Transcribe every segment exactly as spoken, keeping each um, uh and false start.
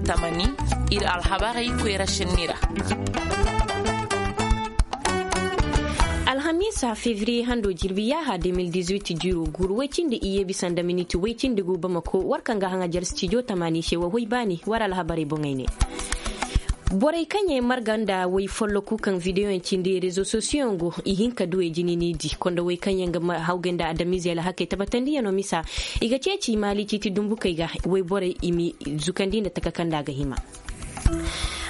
Tamani, iri alhabarey koyra senni ra. Alhamiisa febriye hando jirbi yaaha deux mille dix-huit jiiro guuru way cindi iyye bisa nda miniti way cindi gu bamako war kaŋ ga haŋajar stijo tamani se wa hoy baani war alhabarey boŋey ne. Borey kaŋ yaŋ marga nda way folloku kaŋ videoyaŋ cindi rezo sosiyoŋ go i hin ka du e jini ni di konda way kaŋ yaŋ ga hawgay nda adamiizey alhakey tabatandiyano misa. I ga ceeci maali ciiti dumbukey ga wayborey i ma zukandi nda taka kaŋ nda a ga hima.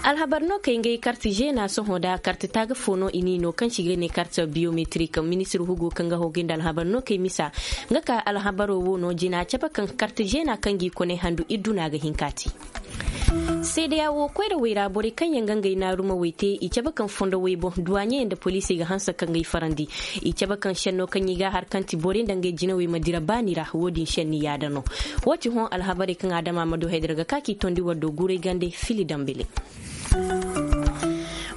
Alhabar no kay ngey karti zeena sohõ da karti taaga fo no i n'i no kaŋ si ga ne karti biyometrik ministir hugo kaŋ ga hawgay nda alhabar no kay misa. Nga ka alhabaro wo no jina cabe kaŋ karti zeena kaŋ g'i kone handu idduna ga hin ka ti. Seedeya wo koyrawey ra borey kaŋ yaŋ ga ngey naaruma way te i cabe kaŋ fondo way boŋ duwaaɲey nda poliisey ga hanse ka ngey farandi. I cabe kaŋ senno kaŋ i ga a har kaŋ ti borey nda ngey jinawey ma dira baani ra wo- din senni yaada no. Wo- ti hõ alhabarey kaŋ adama ma du haydara ga ka k'i tondi war do guray gande fili dambele.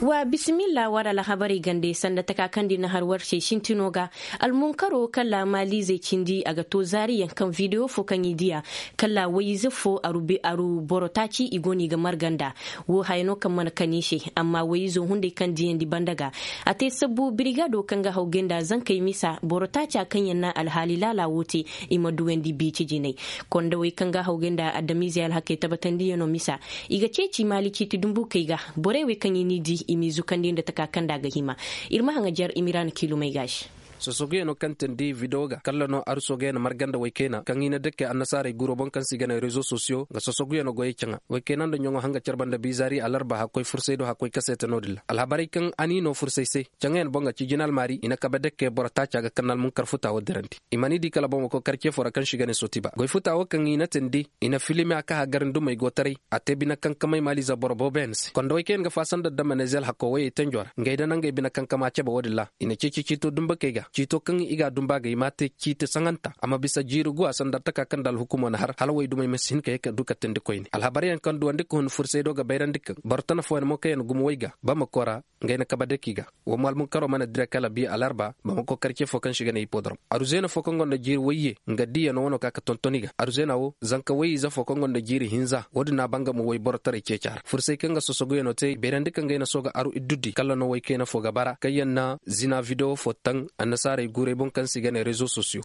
Wa bisimilla war alhabarey gande sanda taka kaŋ da i na har war se sintino ga. Almunkaro kala maaliizey cindi a ga to zaariyaŋ kaŋ videwo fo kaŋ i diya kala wayize fo aru boro taaci i go no i ga marga nda. Wo haya no kaŋ mana kani se amma wayizo hunday kaŋ diyandi banda ga. A te sabbu birigado kaŋ ga hawgay nda zankey misa boro taaca kaŋ yaŋ na alhaali laala wo te. I ma duwandi biici jinay. Kondawey kaŋ ga hawgay nda adamiizey alhakey tabatandiyano misa. I ga ceeci maali ciiti dumbukey ga. Borey wey kaŋ i n'i di i m'i zukandi nda taka kaŋ nda a ga hima. Iri ma haŋajar i ma ira na kiilumey gaasi. Sosoguyaŋo kaŋ tindi video ga kalla no aruso ga yaŋ marganda waykayna kaŋ i na dake annasaarey guro boŋ kaŋ se i ga ne rezo sosiyo ga sosoguyaŋo goyey caŋa. Waykayna nda ɲaŋo hanga care banda bizaari alarba hakkoy fursay do hakkoy kaseete no- din ra alhabarey kaŋ a n'i no fursay se. Caŋayaŋ boŋ ga ci jinal maari i na kabe dake boro taaca ga kannal munkar futa wo dirandi. I mana i di kala boŋ wo koy karce fo ra kaŋ se i ga ne sotiba goy futa wo kaŋ i na tindi i na filimiya ka hagar ndumey go taray. A te bine kankamay maaliize boro boobo yaŋ se kondawey kaŋ yaŋ ga faasa nda damanezel hakko wayey tenjo ra ngey da nangey bine kankama cabe wo- din ra. I na ceeci ciito dumbakey ga ciito kaŋ i ga a dumba ga i m'a te ciiti saŋanta a ma bisa jiiri guwa sanda taka kaŋ nda alhukumo na har hala waydumey ma si hin ka ye ka du ka tindi koyne alhabaryaŋ kaŋ duwandi ka hun fursay do ga bayrandi kaŋ boro tana fooyaŋ mo kaŋ yaŋ gumo way ga bamako ra. Ngey na kabe dake i ga wo mo almunkaro mana dira kala bi alarba bamako karce fo kaŋ se i ga ne hipodrom aruzeena fo kaŋ gonda jiiri wayye nga diiyano wano ka ga tonton i ga aruzeena wo zanka wayye ize fo kaŋ gonda jiiri hinza wo- din no a banga mo wayborotaray ceeca ra fursay kaŋ ga sosoguyaŋo te i bayrandi kaŋ ga ay na sooga aru iddudi kala no waykayna fo ga bara kaŋ yaŋ na zina videwo fo taŋ annasaarey guurey boŋ kaŋ se i ga ne rezo sosiyo.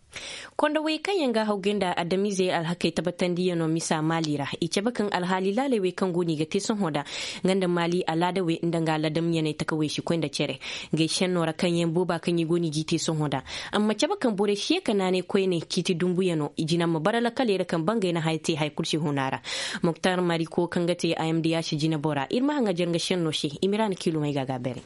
Kondawey kaŋ yaŋ ga hawgay nda adamiizey alhakey tabatandiyano misa maali ra i cabe kaŋ alhaali laaley wey kaŋ go no i ga te sohõ nda nga nda maali alaadawey nda nga aladamyaney takawey si koy nda cere. Ngey senno ra kaŋ yaŋ booba kaŋ i go no i g'i te sohõ nda amma cabe kaŋ borey si ye ka naanay koyne ciiti dumbuyano i jina ma bara lakaley ra kaŋ bangay na haya te hari kulu si huna ra. Moktar mariko kaŋ ga te a m d h jinebora iri ma haŋajar nga senno se i ma ira na kiilumey ga a ga a beeray.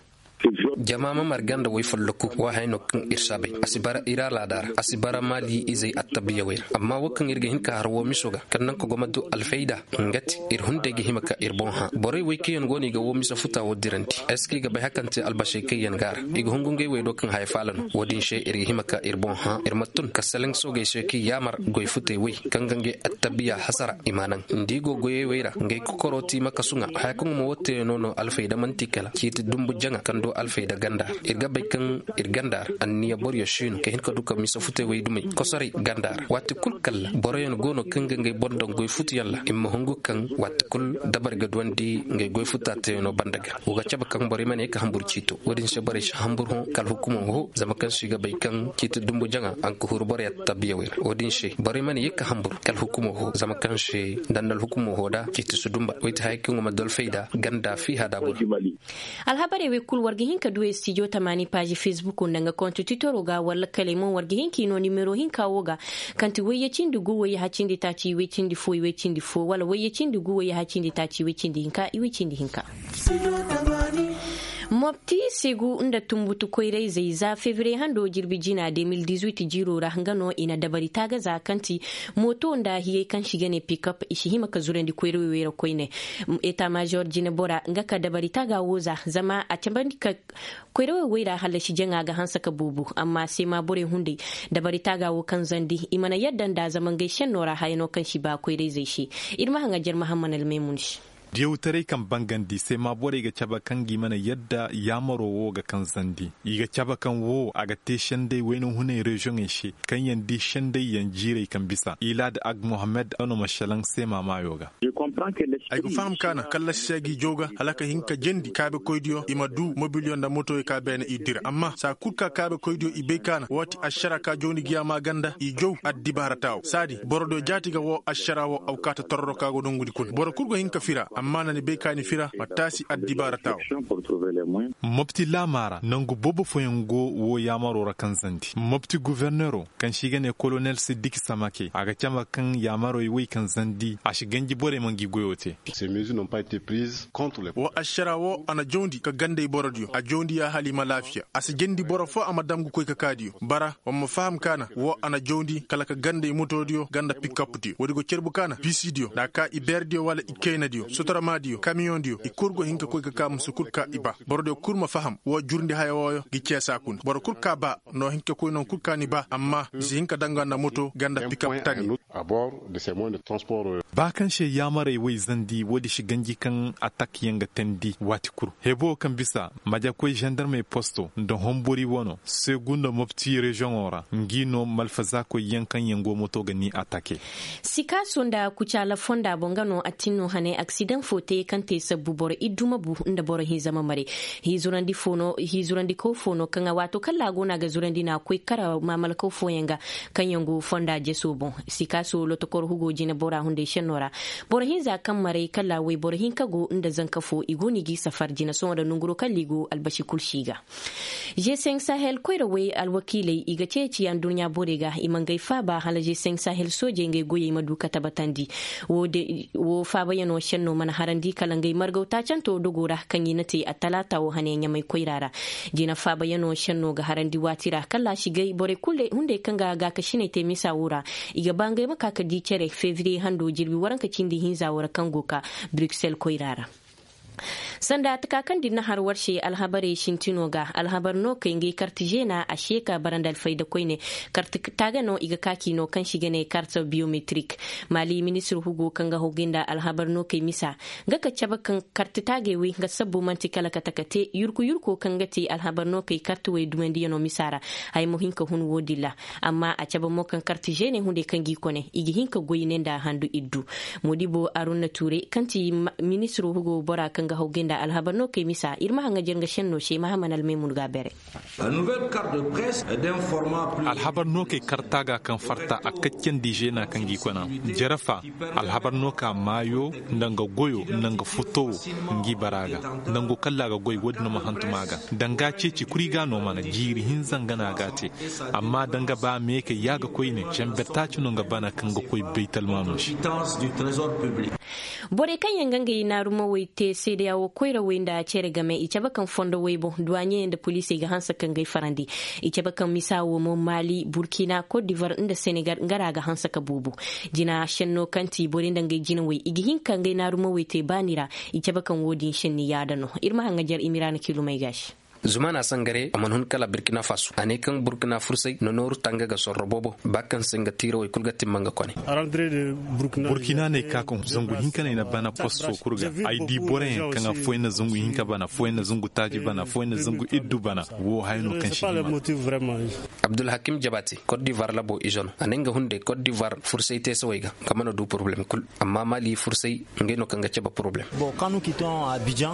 Jama ma marga nda way folloku wo haya no kaŋ iri si a bay a si bara iri alaada ra a si bara maali izey attabiyawey ra amma wo kaŋ iri ga hin ka har wo miso ga kaŋ nanka go ma du alfayda. Nga te iri hunday ga hima ka iri boŋ hã borey way kaŋ yaŋ go no i ga wo misa futa wo dirandi est ce que i ga bay hari kaŋ te albasey kaŋ yaŋ ga a ra i ga hungu ngey way do kaŋ haya faala no wo- din se iri ga hima ka iri boŋ hã iri ma tun ka salaŋ soogey se kaŋ yaamar goy futey way kaŋ ga ngey attabiya hasara i m'a naŋ nda i go goyey way ra ngey kokoro ti ma kasu ŋwa haya kaŋ gumo wo teeno no alfayda manti kala ciiti dumbu jaŋa kaŋ du alfayda ganda ra iri ga bay kaŋ iri ganda ra anniya boro yaŋ si no ka hin ka du ka misa futey way dumey kosoray ganda ra waati kulu kala boro yaŋ go no kaŋ ga ngey boŋ daŋ goy futu yaŋ ra i ma hungu kaŋ waati kulu dabari ga duwandi ngey goy futa teeno banda ga wo ga cabe kaŋ borey mana ye ka hamburu ciito wo- din se borey si hamburu hõ kala hukumo ho zama kaŋ se i ga bay kaŋ ciiti dumbu jaŋa a ga huru boro yaŋ tabbiyawey ra wo- din se borey mana ye ka hamburu kala hukumo ho zama kaŋ se danda alhukumo ho da ciiti si dumba way ti haya kaŋ go ma dolfey da ganda fiiha da boro. Alhabarey wey kulu war ga hin ka du e stijo tamaani paazi fesbuko nda nga konto titoro ga wala kaley mo war ga hin k'i no nimero hinka wo ga kaŋ ti wayye cindi gu wayye hacindi taaci iway cindi fo iway cindi fo wala wayye cindi gu wayye hacindi taaci iway cindi hinka iway cindi hinka. Mopti segu nda tumbutu koyrayzey za febriye hando jirbi jina deux mille dix-huit jiiro ra nga no i na dabari taaga za kaŋ ti mooto nda hiyey kaŋ si ga ne pikop i si hima ka zurandi koyrawey ra koyne. Eta major jinebora nga ka dabari taaga wo za zama a cambandi ka koyrawey wayra hallasi jaŋa ga hanse ka boobo amma seema borey hunday dabari taaga wo kaŋ zandi i mana yadda nd'a zama ngey senno ra haya no kaŋ si ba koyrayzey se. Iri ma haŋajer mahamman almaymun se. Diyawtaray kaŋ bangandi seema borey ga cabe kaŋ ga i mana yadda yaamaro wo ga kaŋ zandi. I ga cabe kaŋ wo a ga te senday wayna hunay reziyoŋey se kaŋ yaŋ di senday yaŋ jiirey kaŋ bisa ilaad ag mohammed no ma selaŋ seema maayo ga. Ay ga faham kaana kallasi se ga i jaw ga hala ka hin ka jandi kaabekoydiyo i ma du mobiliyo nda motoyo ka beene i dira amma saa kulu ka kaabekoydiyo i bay kaana waati ašara ka jawndi ga yaama ganda i jaw addibaara taawo saadi borodiyo jaati ga wo ašara wo awkaata tororo ka go nongudi kuna boro kulu ga hin ka fira amma na ni bay ka ni fira ma taasi addibaara taawo. Mopti laama ra nangu boobo fooyaŋ go wo yaamaro ra kaŋ zandi mopti goforneero kaŋ se i ga ne kolonel siddik samake a ga cama kaŋ yaamarey woy kaŋ zandi a si ganji borey ma ngi goyo te. Wo ašara wo a na jawndi ka gandey borodiyo a jawndi ya hala i ma laafiya a si jandi boro fo a ma dam ga koy ka kaadiyo bara wa ma faham kaana wo a na jawndi kala ka gandey motodiyo ganda pikapdiyo woodi go carbu kaana bisidiyo nda a ka ibeerdiyo wala ikaynadiyo sotoramaadiyo kamiyoŋdiyo i kulu go hin ka koy ka ka musu kulu ka i ba borodiyo kulu ma faham wo jurndi haya wooyo ga ceesa kuna boro kulu ka ba no hin ka koy non kulu ka ni ba amma i si hin ka danga nda moto ganda pikap tani. Ba kaŋ se yaamarey woy zandi woodi si ganji kaŋ atak yaŋ ga teendi waati kulu hebo kaŋ bisa majakoy zandarmey posto nda hombori wano seegu nda mopti reziyoŋo ra ngi no malfazaakoy yaŋ kaŋ yaŋ go moto ga ni atake. Sikaaso nda kucaala fonda boŋ nga no a tin no hane aksidaŋ fo te kaŋ te sabbu boro iddu ma bu nda boro hinza ma mare. Hizurandikaw fo no kaŋ a waato kaŋ ra a go no a ga zurandi no a koy kara maamalkaw fooyaŋ ga kaŋ yaŋ go fonda jeso boŋ. Sikaaso lotokor hugo jine bora hunday senno ra boro hinza kaŋ maray kala wayboro hinka go nda zanka fo i go no i g'i safar jine sohõ nda nanguro kala i go albasi kulu si ga. G cinq sahel koyrawey alwakiiley i ga ceeci anduɲɲa borey ga i ma ngey faaba hala g cinq sahel soojey ngey goyey ma du ka tabatandi. Wo faabayaŋo senno mana harandi kala ngey margaw taacanto dogo ra kaŋ i na te attalaata wo hane ɲamay koyra ra. Jina faabayaŋo senno ga harandi waati ra kala a si gay borey kulu hunday kaŋ ga gaakasiney te misa wo ra i ga ba ngey ma ka ga di cere febriye hando jirbi waranka cindi hinza wo ra kaŋ go ga ka bruksel koyra ra. Sanda taka kaŋ da iri na har war se alhabarey sintino ga alhabar no kay ngey karti zeena a se ka bara nda alfayda koyne. Karti taaga no i ga ka k'i no kaŋ se i ga ne karti biyometrik. Maali ministir hugo kaŋ ga hawgay nda alhabar no kay misa nga ka cabe kaŋ karti taagey wey nga sabbo manti kala ka taka te yurku yurko kaŋ ga te alhabar no kay karti wey dumandiyano misa ra. Haya mo hin ka hun wo- din ra. Amma a cabe mo kaŋ karti zeene hunday kaŋ g'i kone i ga hin ka goy ne nda handu iddu. Moodibo arunna tuure kaŋ ti ministiro hugo bora kaŋ ga hawgay nda alhabar no kay misa iri ma haŋajer nga senno se mahaman almaymun ga bere. Alhabar no kay karta ga kaŋ farta a kaccandi zeena kaŋ g'i kona. Jarafa alhabar no ka maayo nda nga goyo nda nga futowo ngi bara ga. Nango kalla ga goy wo- din no ma hantum a ga. Danga ceeci kuri ga no mana jiiri hinza nga no a ga a te. Amma danga ba meekey ya ga koyne camber taaci no nga bana kaŋ ga koy baytalmaano se. Borey kaŋ yaŋ ga ngey naarumawey te seedeya wo koyrawey nda cere game i cabe kaŋ fondo waybo duwaɲey nda poliisey ga hanse ka ngey farandi. I cabe kaŋ misa wo mo maali burkina kot divar nda senegal nga ra ga hanse ka buubu. Jina senno kaŋ ti borey nda ngey jinawey i ga hin ka ngey naarumawey te baani ra. I cabe kaŋ wo- din senni yaada no iri ma haŋajer i ma ira na kilumay ga se. Zumana sangare a mana hun kala burkina faso a ne kaŋ burkina fursay na nooru tanga ga sorro boobo ba kaŋ se nga tiirawey kulu ga timma nga kone. Burkina ne ka kaŋ zangu hinka no ay na bana posto kulu ga ay di boroyaŋ kaŋ afooyaŋ na zangu hinka bana afooyaŋ na zangu taaci bana afooyaŋ na zangu iddu bana. Wo haya no kaŋ si hima. Abdulhakim jabate kot divar labo izo no a ne nga hunday kot divar fursay teesawey ga nga mana du poroblem kulu. Amma mali fursay ngey no kaŋ ga cabe poroblem.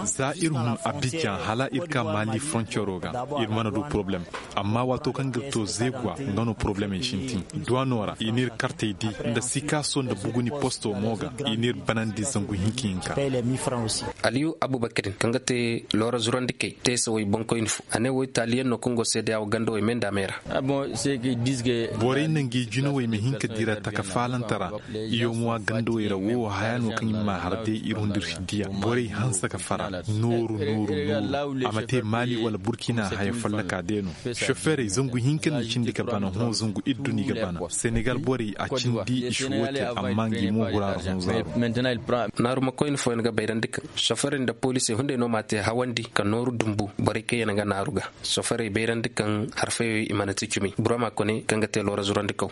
Za iri hun abijan hala iri ka mali froncero ga iri mana du poroblem. Amma waato kaŋ ga iri to zeegwa nga no poroblemey sintin duwano ra i n'iri kartey di nda sikaaso nda buguni posto mo ga i n'iri banandi zangu hinka hinka. Aliyu abubakarin kaŋ ga te loora zurandi kay teesawey boŋkoyne fo a ne wo italiyaŋ no kaŋ go seedeya wo gandawey me nda me ra. Borey na ngi jinawey ma hin ka dira taka faalanta ra. Iyo mo a gandawey ra wo haya no kaŋ i ma har day iri hundir si diya borey hanse ka fara nooru nooru nooru a ma te maali. Wala burkina haya fallaka de no. Soferey zangu hinka ni cindi ga bana hõ zangu iddu ni ga bana senegal borey a cindi i si wote amma ngi mo hurara hõ zaaru. Naaru ma koyne fooyaŋ ga bayrandi kaŋ soferey nda poliisey hunday no ma te hawandi ka nooru dumbu borey kaŋ yaŋ ga naaru ga. Soferey bayrandi kaŋ harfayey i mana ti cumi burama kone kaŋ ga te loora zurandi kaw.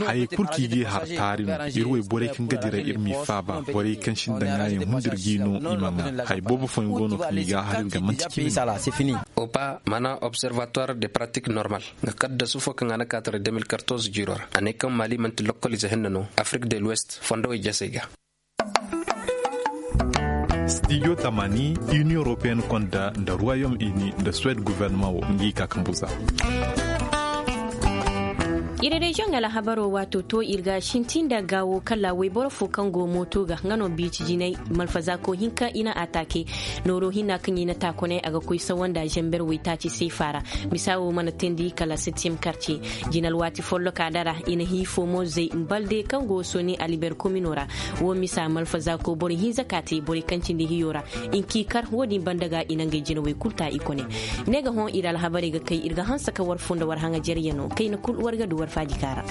Hayey kulu kaŋ i ga i har taari no. Iri way borey kaŋ ga dira iri m'i faaba borey kaŋ sinda ŋaayaŋ hundir g'i no i ma ŋaa. Hay boobo fooyaŋ go no kaŋ i ga a har iri ga manti cimi. Opa mana observatoire de pratique normal nga kaddasu fo kaŋ a na kaatare deux mille quatorze jiiro ra a ne kaŋ mali manti lokkolize hinne no afrik de l'ouest fondowey jasey ga. Stijo tamani, union européenne konda nda royaume uni nda suwed gouvernement wo ngi ka kambu za. Iri reziyoŋ alhabaro waato to iri ga sintin nda gaawo kala wayboro fo kaŋ go mooto ga nga no biici jinay malfazaako hinka i na ataake. Nooro hinna kaŋ i na taakoney a ga koy sawanda zamber waytaaci seefa ra. Misa wo mana teendi kala septième quartier. Jina alwaati folloka dara i na hiifo mo zay mbalde kaŋ go sooni aliber komino ra. Wo misa malfazaako boro hinza ka te borey kaŋ cindi hiyo ra. Inki kar wo- din banda ga i na ngey jinawey kulu ta i kone. Ne ga hõ iri alhabarey ga kay iri ga hanse ka war fo nda war haŋajeryano kayna kulu war ga du war faaji kaara.